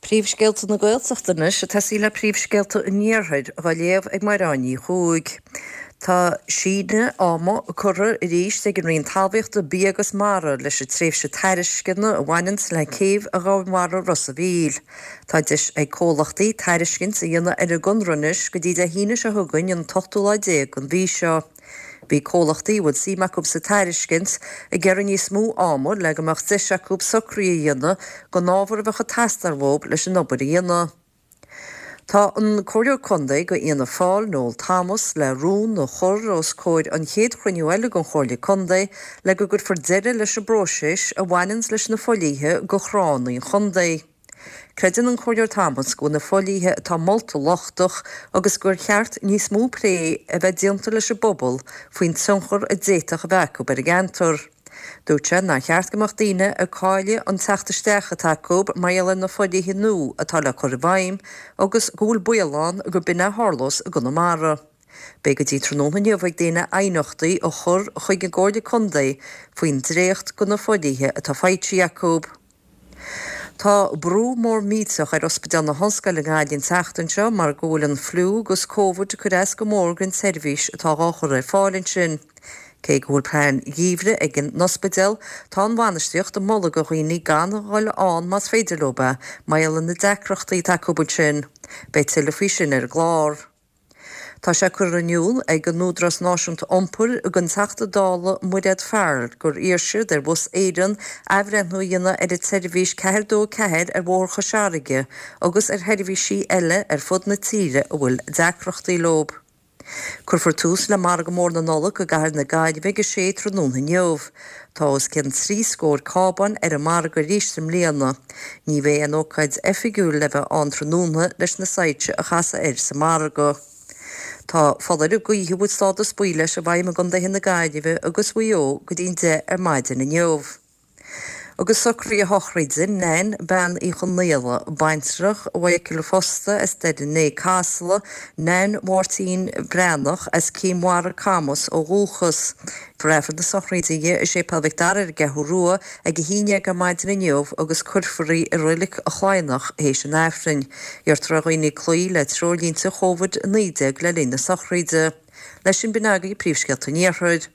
Príomhscéalta na Gaeltachta anois ag tosaí le príomhscéalta an Iarthair dhá léamh ag Mairéad Ní Chuaig. Tá síneadh ama curtha arís ag an Roinn Talmhaíochta, Bia agus Mara leis an tréimhse tairisceana a bhaineanns le céibh Dhomhainmhara Ros a' Mhíl. Tá deis ag comhlachtaí tairiscint a dhéanamh ar an gconradh anois go dtí Dé hAoine seo chugainn an t-ochtú lá déag den mhí seo. Bhí comhlachtaí a bhfuil suim acu sa tairiscint ag iarraidh níos mó ama le go mbeadh deis acu socruithe a dhéanamh don ábhar a bheadh ag teastáil uathu leis an obair a dhéanamh. Tá an Comhairleoir Contae do Fhianna Fáil, Noel Thomas, le rún a chur os comhair an chéad chruinniú eile den Chomhairle Contae le go gcuirfear deireadh leis an bpróiseas a bhaineanns leis na fodhlíthe do thránna an chontae. Creideann an Comhairleoir Thomas go bhfuil na fodhlíthe atá molta lochtach agus gur cheart níos mó plé a bheith déanta leis an bpobal faoin tionchar a d'fhéadfadh a bheith acu ar an gceantar. Dúirt sé nár cheart go mbeadh daoine ag cailleadh an teacht isteach atá acu mar gheall ar na fodhlíthe nua atá le cur i bhfeidhm agus go bhfuil baol ann gur b'in a tharlós i gConamara. Beidh go dtí tráthnóna inniu ag daoine aighneachtaí a chur chuig an gComhairle Contae faoin dréacht de na fodhlíthe atá faighte acu. Tá brú mór millteach ar Ospidéal na hOllscoile i nGaillimh an tseachtain seo mar go bhfuil an fliú agus Covid ag cur as go mór don tseirbhís atá dhá chur ar fáil ansin. Cé go bhfuil plean geimhridh ag an ospidéal, tá an bhainistíocht ag moladh do dhaoine gan a dhul ann más féidir leo é, mar gheall ar na deacrachtaí atá acu ansin. Beidh tuilleadh faoi sin ar an gclár. Tá sé curtha in iúl ag an Údarás Náisiúnta Iompair don Teachta Dála Mairéad Farrell gur iarr siad ar Bhus Éireann athbhreithniú a dhéanamh ar an tseirbhís 424 ar Bhóthar Chois Fharraige agus ar sheirbhísí eile ar fud na tíre a bhfuil deacrachtaí leo. Cuirfear tús le Margadh Mór na Nollag i gcathair na Gaillimhe ag a sé tráthnóna inniu. Tá os cionn 30 scór cábán ar an margadh arís i mbliana. Ní bheidh aon ócáid oifigiúil le bheith ann tráthnóna leis na soilse a chasadh air sa margadh. Tá foláireamh gaoithe a bhfuil stádas buí leis i bhfeidhm i gcontaetha na Gaillimhe agus Mhaigh Eo go dtí an 10 ar maidin inniu. Agus socruithe a shochraide Nan, Bean Uí Chonaola, baintreach Mhichael fosta as Doire Né, Casla, Nan Mháirtín Breathnach as Cinn Mhara, Camas ó dhúchas. Cuirfear Aifreann na sochraide di i Séipéal Mhic Dara ar an gCeathrú Rua ag 11 ar maidin inniu agus cuirfear í i Reilig an Chladhnach théis an Aifrinn. Iarrtar ar dhaoine cloí le treoirlínte Chóvid 19 le linn na sochraide. Leis sin b'in agaibh príomhscéalta an Iarthair.